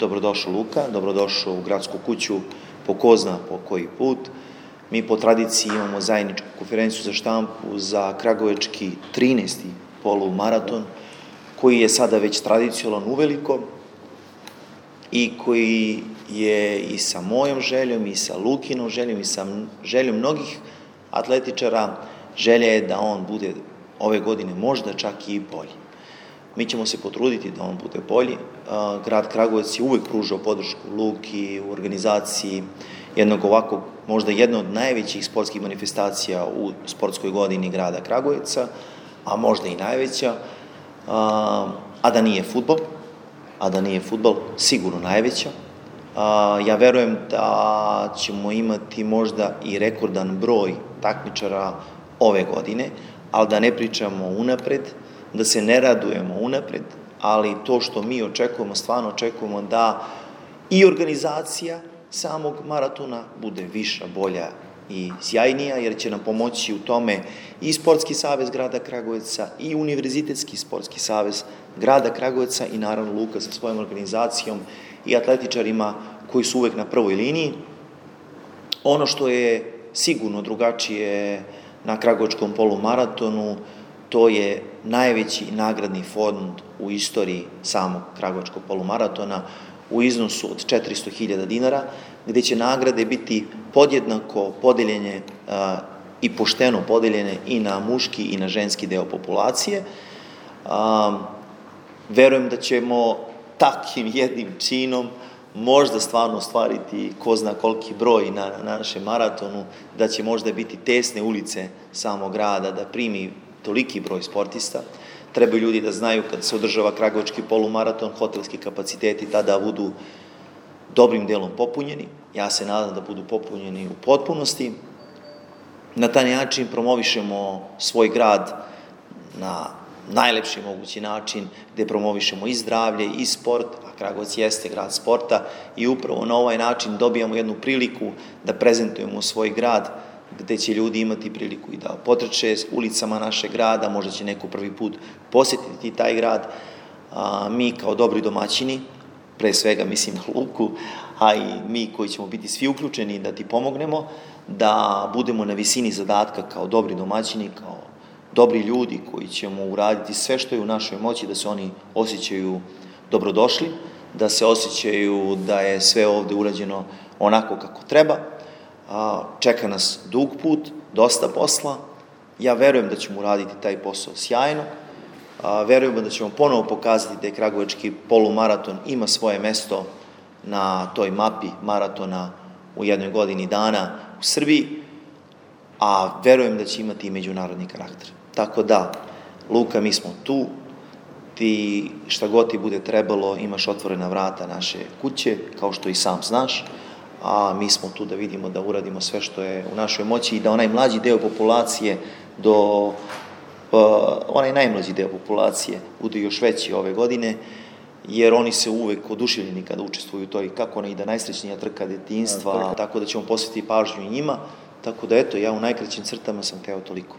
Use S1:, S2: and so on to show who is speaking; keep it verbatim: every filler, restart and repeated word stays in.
S1: Dobrodošao Luka, dobrodošao u gradsku kuću po ko zna po koji put. Mi po tradiciji imamo zajedničku konferenciju za štampu za kragujevački trinaesti polumaraton, koji je sada već tradicionalan uveliko i koji je i sa mojom željom, i sa Lukinom željom, i sa željom mnogih atletičara, želja je da on bude ove godine možda čak i bolji. Mi ćemo se potruditi da on bude bolji. Grad Kragujevac je uvek pružao podršku Luki u organizaciji jednog ovakvog, možda jedna od najvećih sportskih manifestacija u sportskoj godini grada Kragujevca, a možda i najveća, a da nije fudbal, a da nije fudbal, sigurno najveća. Ja verujem da ćemo imati možda i rekordan broj takmičara ove godine, ali da ne pričamo unapred, da se ne radujemo unapred, ali to što mi očekujemo, stvarno očekujemo da i organizacija samog maratona bude viša, bolja i sjajnija, jer će nam pomoći u tome i Sportski savez grada Kragujevca, i Univerzitetski sportski savez grada Kragujevca, i naravno Luka sa svojom organizacijom i atletičarima koji su uvek na prvoj liniji. Ono što je sigurno drugačije na kragujevačkom polumaratonu, to je najveći nagradni fond u istoriji samog kragujevačkog polumaratona u iznosu od četiristo hiljada dinara, gde će nagrade biti podjednako podeljene a, i pošteno podeljene i na muški i na ženski deo populacije. A, verujem da ćemo takvim jednim činom možda stvarno ostvariti ko zna koliki broj na, na našem maratonu, da će možda biti tesne ulice samog grada, da primi toliki broj sportista. Trebaju ljudi da znaju kad se održava kragujevački polumaraton, hotelski kapaciteti tada budu dobrim delom popunjeni. Ja se nadam da budu popunjeni u potpunosti. Na taj način promovišemo svoj grad na najlepši mogući način, gde promovišemo i zdravlje i sport, a Kragujevac jeste grad sporta, i upravo na ovaj način dobijamo jednu priliku da prezentujemo svoj grad, gde će ljudi imati priliku i da potrče ulicama našeg grada, možda će neko prvi put posjetiti taj grad. A, mi kao dobri domaćini, pre svega mislim na Luku, a i mi koji ćemo biti svi uključeni da ti pomognemo, da budemo na visini zadatka kao dobri domaćini, kao dobri ljudi koji ćemo uraditi sve što je u našoj moći da se oni osjećaju dobrodošli, da se osjećaju da je sve ovde urađeno onako kako treba. Čeka nas dug put, dosta posla. Ja verujem da ćemo uraditi taj posao sjajno. Verujem da ćemo ponovo pokazati da je kragujevački polumaraton ima svoje mesto na toj mapi maratona u jednoj godini dana u Srbiji, a verujem da će imati i međunarodni karakter. Tako da, Luka, mi smo tu, ti šta god ti bude trebalo, imaš otvorena vrata naše kuće, kao što i sam znaš, a mi smo tu da vidimo da uradimo sve što je u našoj moći i da onaj mlađi deo populacije do uh, onaj najmlađi deo populacije bude još veći ove godine, jer oni se uvek oduševljeni kada učestvuju u toj, kako ona ide, najsrećnija trka detinjstva, tako da ćemo posvetiti pažnju i njima, tako da eto, ja u najkraćim crtama sam teo toliko.